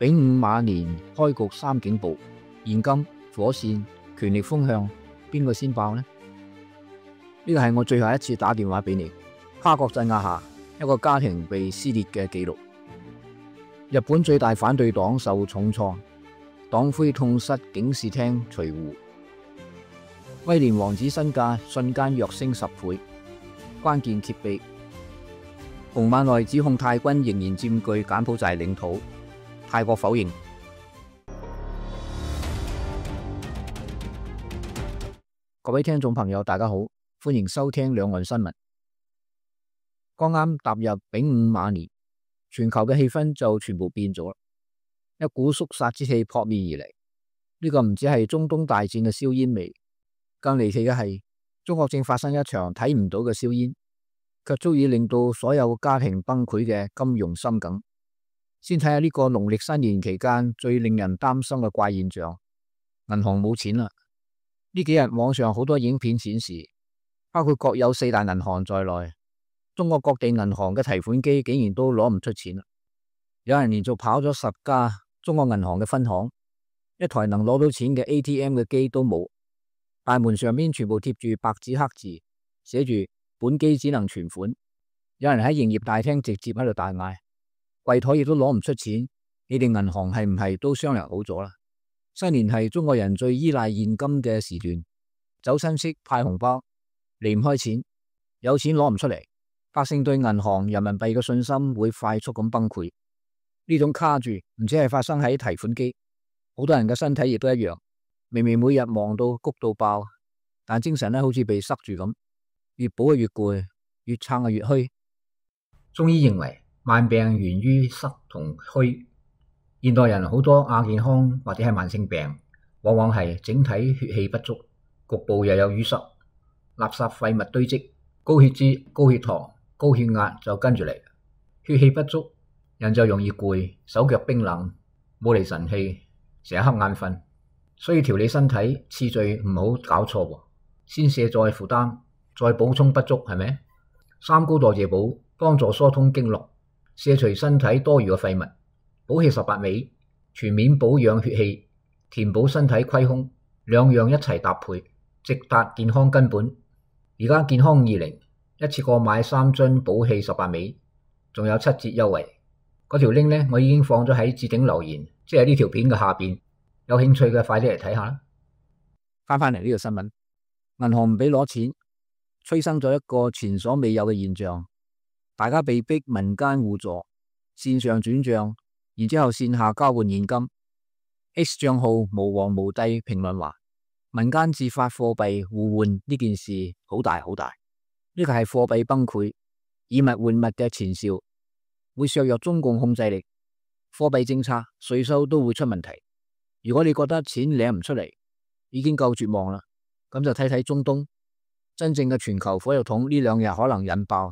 丙午馬年開局三警報，現金、火線、權力風向，邊個先爆呢？呢個係我最後一次打電話俾你。跨國鎮壓下，一個家庭被撕裂嘅記錄。日本最大反對黨受重創，黨魁痛失警視廳隨扈。威廉王子身價瞬間躍升10倍。關鍵揭秘：洪萬內指控泰軍仍然佔據柬埔寨領土，泰國否認。各位聽眾朋友，大家好，歡迎收聽兩岸新聞。剛啱踏入丙午馬年，全球嘅氣氛就全部變咗，一股肅殺之氣撲面而嚟。呢個唔止係中東大戰嘅硝煙味，更離奇嘅係中國正發生一場睇唔到嘅硝煙，卻足以令到所有家庭崩潰嘅金融心梗。先睇下呢個農曆新年期間最令人擔心嘅怪現象：銀行冇錢啦。呢幾日網上好多影片顯示，包括國有4大銀行在內，中國各地銀行嘅提款機竟然都攞唔出錢啦！有人連續跑咗10家中國銀行嘅分行，一台能攞到錢嘅 ATM 嘅機都冇，大門上面全部貼住白紙黑字，寫住本機只能存款。有人喺營業大廳直接喺度大嗌，櫃台亦都攞唔出錢，你哋銀行係唔係都商量好咗啦？新年係中國人最依賴現金嘅時段，走親戚派紅包離唔開錢，有錢攞唔出嚟，百姓對銀行人民幣嘅信心會快速咁崩潰。呢種卡住唔止係發生喺提款機，好多人嘅身體亦都一樣。明明每日忙到谷到爆，但精神好似被塞住咁，越補越攰，越撐越虛。中醫認為萬病源於塞同虛，現代人好多亞健康或者係慢性病，往往係整體血氣不足，局部又有淤塞，垃圾廢物堆積，高血脂、高血糖、高血壓就跟住嚟。血氣不足，人就容易攰，手腳冰冷，冇嚟神氣，成日瞌眼瞓。所以調理身體次序唔好搞錯喎，先卸載負擔，再補充不足，係咪？三高代謝補幫助疏通經絡，卸除身體多餘嘅廢物，補氣18味，全面保養血氣，填補身體虧空，兩樣一齊搭配，直達健康根本。而家健康20一次過買3樽補氣18味，仲有7折優惠。嗰條 link 呢，我已經放咗喺置頂留言，即係呢條片嘅下邊。有興趣嘅快啲嚟睇下啦。翻嚟呢個新聞，銀行唔俾攞錢，催生咗一個前所未有嘅現象，大家被逼民間互助，線上轉賬，然之後線下交換現金。X 賬號無王無帝評論話，民間自發貨幣互換呢件事好大好大，呢個係貨幣崩潰，以物換物嘅前兆，會削弱中共控制力，貨幣政策、稅收都會出問題。如果你覺得錢領唔出嚟，已經夠絕望啦，咁就睇睇中東，真正嘅全球火藥桶呢2日可能引爆，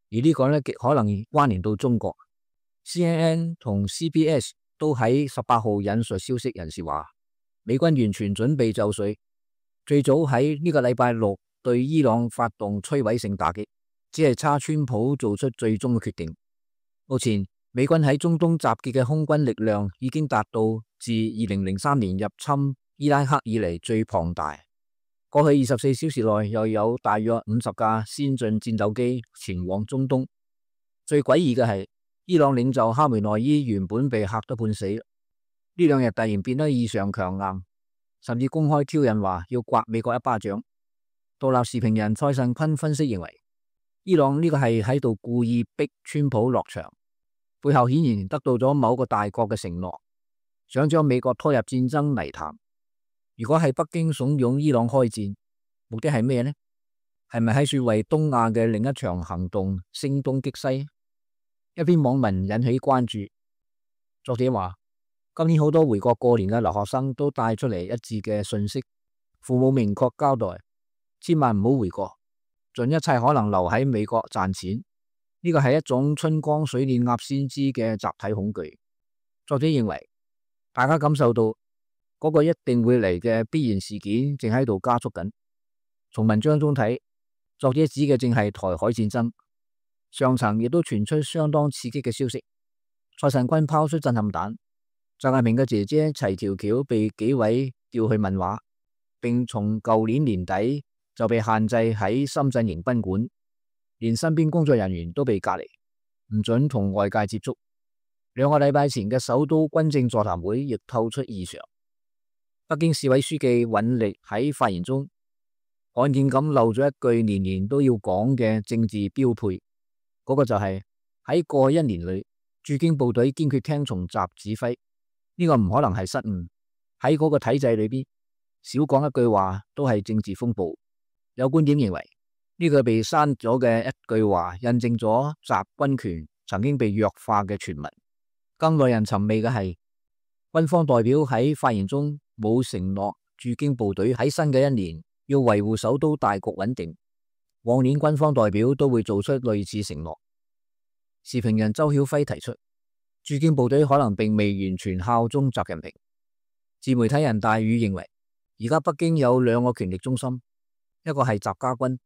而呢個呢極可能關聯到中國。CNN 同 CBS 都喺18號引述消息人士話，美軍完全準備就緒，最早喺呢個禮拜6對伊朗發動摧毀性打擊，只係差川普做出最終嘅決定。目前美軍喺中東集結嘅空軍力量已經達到自2003年入侵伊拉克以嚟最龐大。過去24小時內又有大約50架先進戰鬥機前往中東。最詭異嘅係，伊朗領袖哈梅內伊原本被嚇得半死，呢2日突然變得異常強硬，甚至公開挑釁話要刮美國一巴掌。獨立時評人蔡慎坤分析認為，伊朗呢個係喺度故意逼川普落場，背後顯然得到咗某個大國嘅承諾，想將美國拖入戰爭泥潭。如果係北京慫恿伊朗開戰，目的係咩呢？係咪喺說為東亞嘅另一場行動聲東擊西？一篇網民引起關注，作者話，今年好多回國過年嘅留學生都帶出嚟一致嘅訊息，父母明確交代，千萬唔好回國，盡一切可能留喺美國賺錢。呢個係一種春江水暖鴨先知嘅集體恐懼。作者認為，大家感受到嗰個一定會嚟嘅必然事件正喺度加速緊。從文章中睇，作者指嘅正係台海戰爭。上層亦都傳出相當刺激嘅消息。蔡慎坤拋出震撼彈，習近平嘅姐姐齊條橋被紀委調去問話，並從舊年年底就被限制喺深圳迎賓館，連身邊工作人員都被隔離，唔准同外界接觸。2個禮拜前嘅首都軍政座談會亦透出異常。北京市委書記尹力喺發言中罕見咁漏咗一句年年都要講嘅政治標配，嗰個就係喺過去1年裏，駐京部隊堅決聽從習指揮。呢個唔可能係失誤，喺嗰個體制裏邊，少講一句話都係政治風暴。有觀點認為，呢個被刪咗嘅一句話，印證咗習軍權曾經被弱化嘅傳聞。更耐人尋味嘅係，軍方代表喺發言中冇承諾駐京部隊喺新嘅1年要維護首都大局穩定。往年軍方代表都會做出類似承諾。時評人周曉輝提出，駐京部隊可能並未完全效忠習近平。自媒體人大宇認為，而家北京有2個權力中心，一個係習家軍，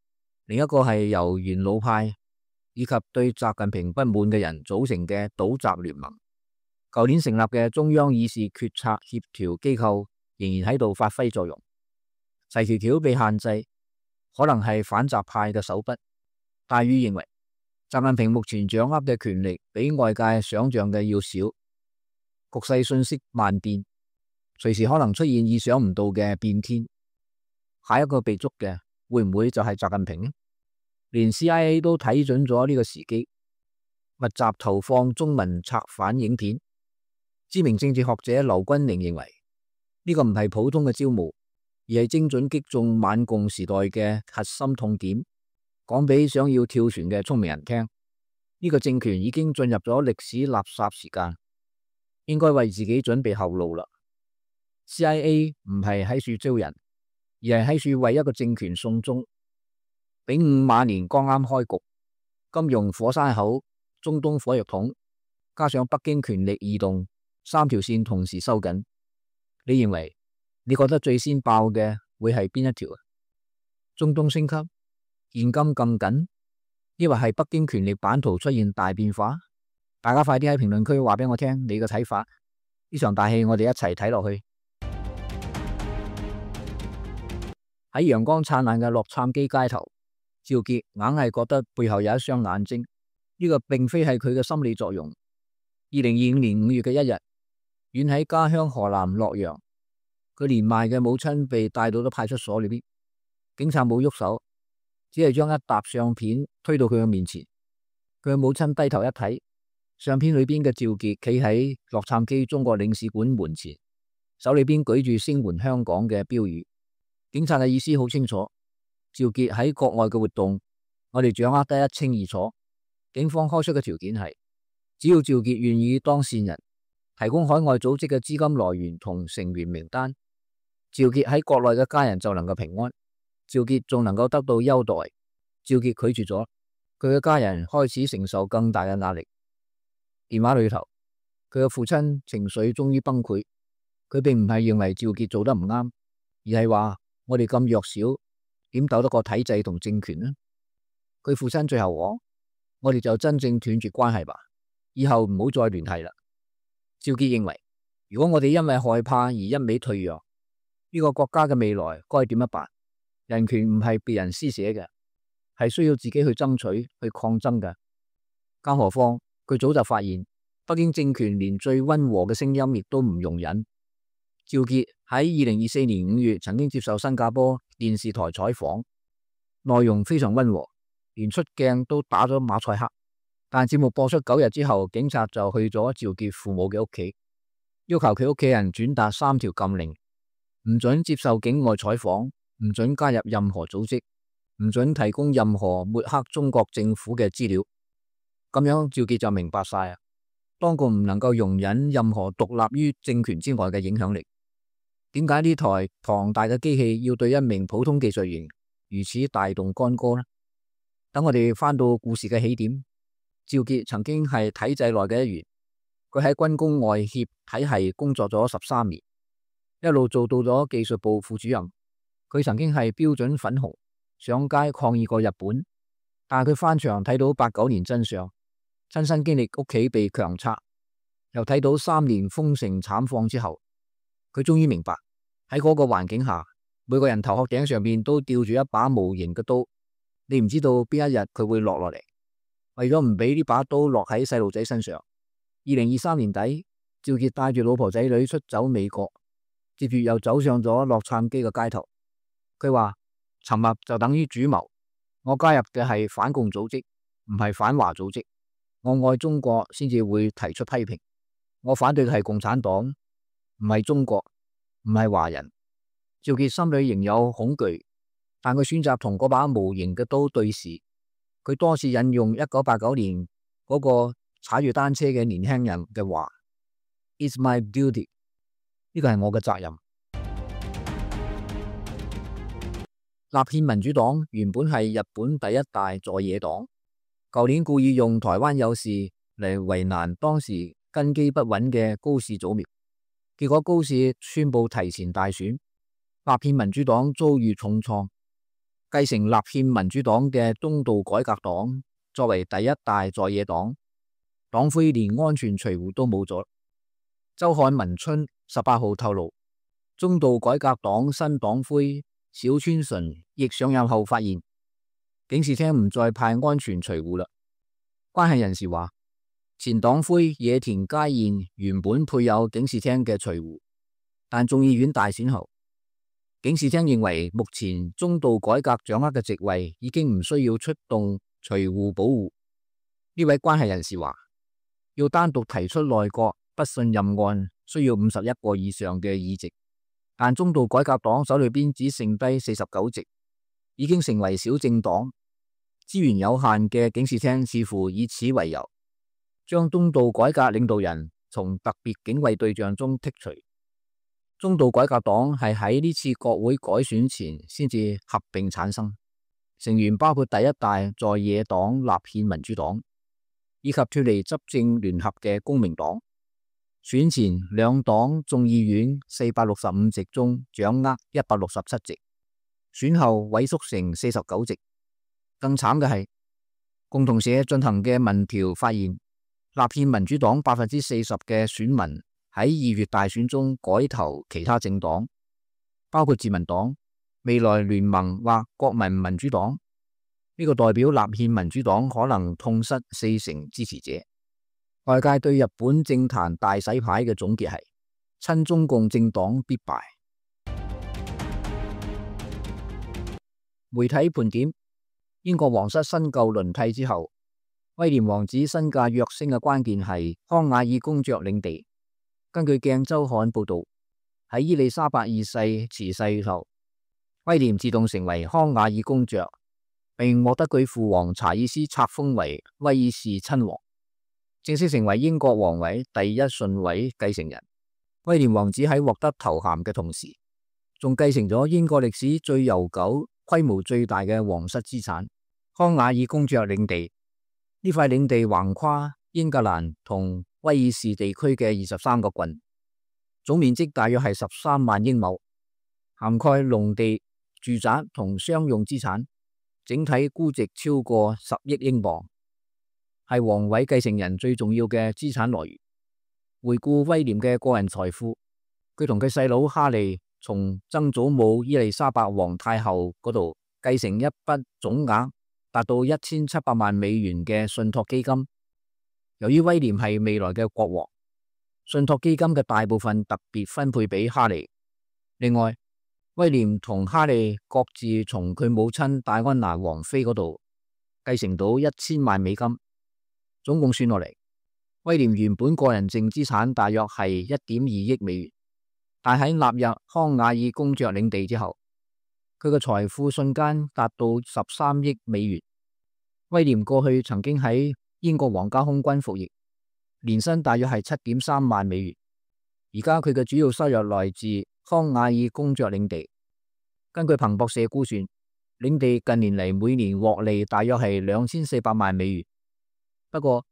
另一個係由元老派以及對習近平不滿嘅人組成嘅倒習聯盟。舊年成立嘅中央議事決策協調機構仍然喺度發揮作用。齊條橋被限制，可能係反習派嘅手筆。大宇認為，習近平目前掌握嘅權力比外界想象嘅要少，局勢瞬息萬變，隨時可能出現意想唔到嘅變天。下一個被捉嘅會唔會就係習近平呢？連 CIA 都睇準咗呢個時機，密集投放中文策反影片。知名政治學者劉君寧認為，呢個唔係普通嘅招募，而係精準擊中晚共時代嘅核心痛點，講俾想要跳船嘅聰明人聽。呢個政權已經進入咗歷史垃圾時間，應該為自己準備後路啦。CIA 唔係喺處招人，而係喺處為一個政權送終。丙午馬年剛啱開局，金融火山口、中東火藥桶，加上北京權力異動，3條線同時收緊。你認為你覺得最先爆嘅會係邊一條？中東升級、現金更緊，抑或係北京權力版圖出現大變化？大家快啲喺評論區話俾我聽你嘅睇法。呢場大戲我哋一齊睇落去。喺陽光燦爛嘅洛杉磯街頭，趙傑硬係覺得背後有一雙眼睛。呢個並非係佢嘅心理作用。2025年5月嘅一日，遠喺家鄉河南洛陽，佢年邁嘅母親被帶到咗派出所裏邊，警察冇喐手，只係將一沓相片推到佢嘅面前。佢嘅母親低頭一睇，相片裏邊嘅趙傑企喺洛杉磯中國領事館門前，手裏邊舉住聲援香港嘅標語。警察嘅意思好清楚，趙傑喺國外嘅活動，我哋掌握得一清二楚。警方開出嘅條件係，只要趙傑願意當線人，提供海外組織嘅資金來源同成員名單，趙傑喺國內嘅家人就能夠平安，趙傑仲能夠得到優待。趙傑拒絕咗，佢嘅家人開始承受更大嘅壓力。電話裏頭，佢嘅父親情緒終於崩潰，佢並唔係認為趙傑做得唔啱，而係話我哋咁弱小，點鬥得過體制同政權呢？佢父親最後講，我哋就真正斷絕關係吧，以後唔好再聯繫啦。趙傑認為，如果我哋因為害怕而一味退讓，呢個國家嘅未來該點樣辦？人權唔係別人施捨嘅，係需要自己去爭取、去抗爭嘅。更何況佢早就發現，北京政權連最溫和嘅聲音亦都唔容忍。趙傑喺2024年5月曾經接受新加坡電視台採訪，內容非常溫和，連出鏡都打咗馬賽克。但節目播出9日之後，警察就去咗趙傑父母嘅屋企，要求佢屋企人轉達3條禁令：唔准接受境外採訪，唔准加入任何組織，唔准提供任何抹黑中國政府嘅資料。咁樣趙傑就明白晒啊，當局唔能夠容忍任何獨立於政權之外嘅影響力。點解呢台龐大嘅機器要對一名普通技術員如此大動干戈呢？等我哋翻到故事嘅起點，趙傑曾經係體制內嘅一員，佢喺軍工外協體系工作咗13年，一路做到咗技術部副主任。佢曾經係標準粉紅，上街抗議過日本，但係佢翻牆睇到89年真相，親身經歷屋企被強拆，又睇到3年封城慘況之後，佢終於明白喺嗰個環境下，每個人頭殼頂上面都吊住一把無形嘅刀，你唔知道邊一日佢會落嚟。為咗唔俾呢把刀落喺細路仔身上，2023年底，趙傑帶住老婆仔女出走美國，接住又走上咗洛杉磯嘅街頭。佢話沉默就等於主謀，我加入嘅係反共組織，唔係反華組織。我愛中國先至會提出批評，我反對嘅係共產黨，唔係中國，唔係華人。趙傑心裏仍有恐懼，但佢選擇同嗰把無形嘅刀對視。佢多次引用1989年嗰個踩住單車嘅年輕人嘅話 ：It's my duty， 呢個係我嘅責任。立憲民主黨原本係日本第一大在野黨，舊年故意用台灣有事嚟為難當時根基不穩嘅高市早苗，結果高市宣布提前大選，立憲民主黨遭遇重創。繼承立憲民主黨嘅中道改革黨作為第一大在野黨，黨魁連安全隨扈都冇咗。周刊文春18號透露，中道改革黨新黨魁小川純亦上任後發現，警視廳唔再派安全隨扈啦。關係人士話，前黨魁野田佳彥原本配有警視廳嘅隨扈，但眾議院大選後，警視廳認為目前中道改革掌握嘅席位已經唔需要出動隨扈保護。呢位關係人士話，要單獨提出內閣不信任案需要51個以上嘅議席，但中道改革黨手裏邊只剩低49席，已經成為小政黨。資源有限嘅警視廳似乎以此為由，將中道改革領導人從特別警衛對象中剔除。中道改革黨係喺呢次國會改選前先至合併產生，成員包括第一大在野黨立憲民主黨，以及脫離執政聯合嘅公明黨。選前兩黨眾議院465席中掌握167席，選後萎縮成49席。更慘嘅係，共同社進行嘅民調發現，立憲民主黨40%嘅選民喺2月大選中改投其他政黨，包括自民黨、未來聯盟或國民民主黨。呢個代表立憲民主黨可能痛失40%支持者。外界對日本政壇大洗牌嘅總結係：親中共政黨必敗。媒體盤點，英國皇室新舊輪替之後，威廉王子身價躍升嘅關鍵係康瓦爾公爵領地。根據鏡週刊報道，喺伊麗莎白二世辭世後，威廉自動成為康瓦爾公爵，並獲得佢父王查爾斯冊封為威爾士親王，正式成為英國王位第一順位繼承人。威廉王子喺獲得頭銜嘅同時，仲繼承咗英國歷史最悠久、規模最大嘅皇室資產——康瓦爾公爵領地。呢塊領地橫跨英格蘭同威爾士地區嘅23個郡，總面積大約係13萬英畝，涵蓋農地、住宅同商用資產，整體估值超過10億英鎊，係王位繼承人最重要嘅資產來源。回顧威廉嘅個人財富，佢同佢細佬哈利從曾祖母伊麗莎白皇太后嗰度繼承一筆總額達到1700萬美元嘅信託基金。由於威廉係未來嘅國王，信託基金嘅大部分特別分配俾哈利。另外，威廉同哈利各自從佢母親戴安娜王妃嗰度繼承到1000萬美金，總共算落嚟，威廉原本個人淨資產大約係1.2億美元，但喺納入康瓦爾公爵領地之後，佢嘅財富瞬間達到13億美元。威廉過去曾經喺英國皇家空軍服役，年薪大約係7.3萬美元。而家佢嘅主要收入來自康瓦爾公爵領地。根據彭博社估算，領地近年嚟每年獲利大約係2400萬美元。不過，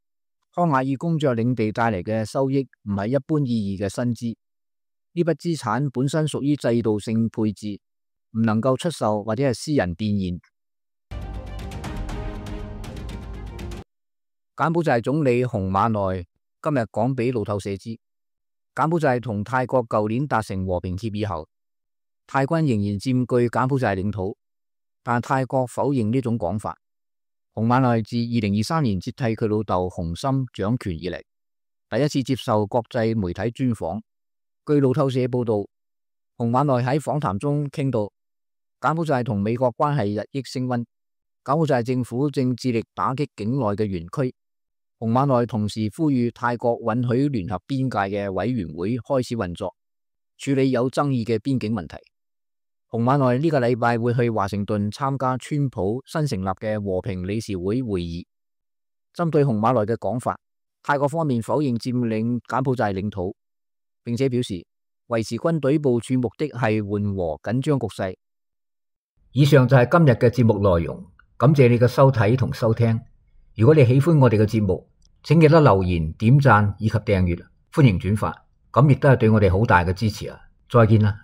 康瓦爾公爵領地帶嚟嘅收益唔係一般意義嘅薪資，呢筆資產本身屬於制度性配置，唔能夠出售或者係私人變現。柬埔寨總理洪瑪奈今日講俾路透社知，柬埔寨同泰國舊年達成和平協議後，泰軍仍然佔據柬埔寨領土，但泰國否認呢種講法。洪瑪奈自2023年接替佢老豆洪森掌權以嚟，第一次接受國際媒體專訪。據路透社報道，洪瑪奈喺訪談中傾到柬埔寨同美國關係日益升溫，柬埔寨政府正致力打擊境內嘅園區。洪瑪奈同時呼籲泰國允許聯合邊界嘅委員會開始運作，處理有爭議嘅邊境問題。洪瑪奈呢個禮拜會去華盛頓參加川普新成立嘅和平理事會會議。針對洪瑪奈嘅講法，泰國方面否認佔領柬埔寨領土，並且表示維持軍隊部署目的係緩和緊張局勢。以上就係今日嘅節目內容，感謝你嘅收睇同收聽。如果你喜歡我哋嘅節目，請記得留言、點讚以及訂閱，歡迎轉發，咁亦都係對我哋好大嘅支持啊！再見啦！